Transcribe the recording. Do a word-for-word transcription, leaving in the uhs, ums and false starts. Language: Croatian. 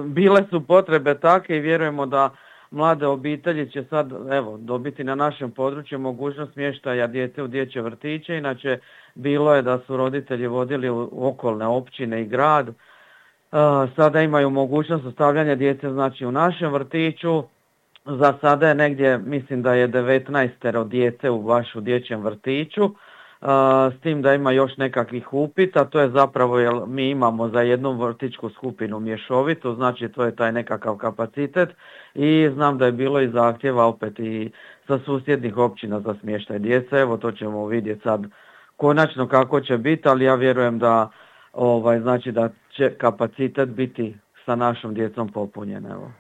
bile su potrebe take i vjerujemo da mlade obitelji će sad evo dobiti na našem području mogućnost smještaja djece u dječje vrtiće. Inače bilo je da su roditelji vodili u okolne općine i grad. Uh, sada imaju mogućnost ostavljanja djece znači u našem vrtiću. Za sada je negdje, mislim da je devetnaestero djece u baš u dječjem vrtiću. Uh, s tim da ima još nekakvih upita, to je zapravo jer mi imamo za jednu vrtićku skupinu mješovitu, znači to je taj nekakav kapacitet i znam da je bilo i zahtjeva opet i sa susjednih općina za smještaj djece, evo to ćemo vidjeti sad konačno kako će biti, ali ja vjerujem da ovaj znači da će kapacitet biti sa našom djecom popunjen, evo.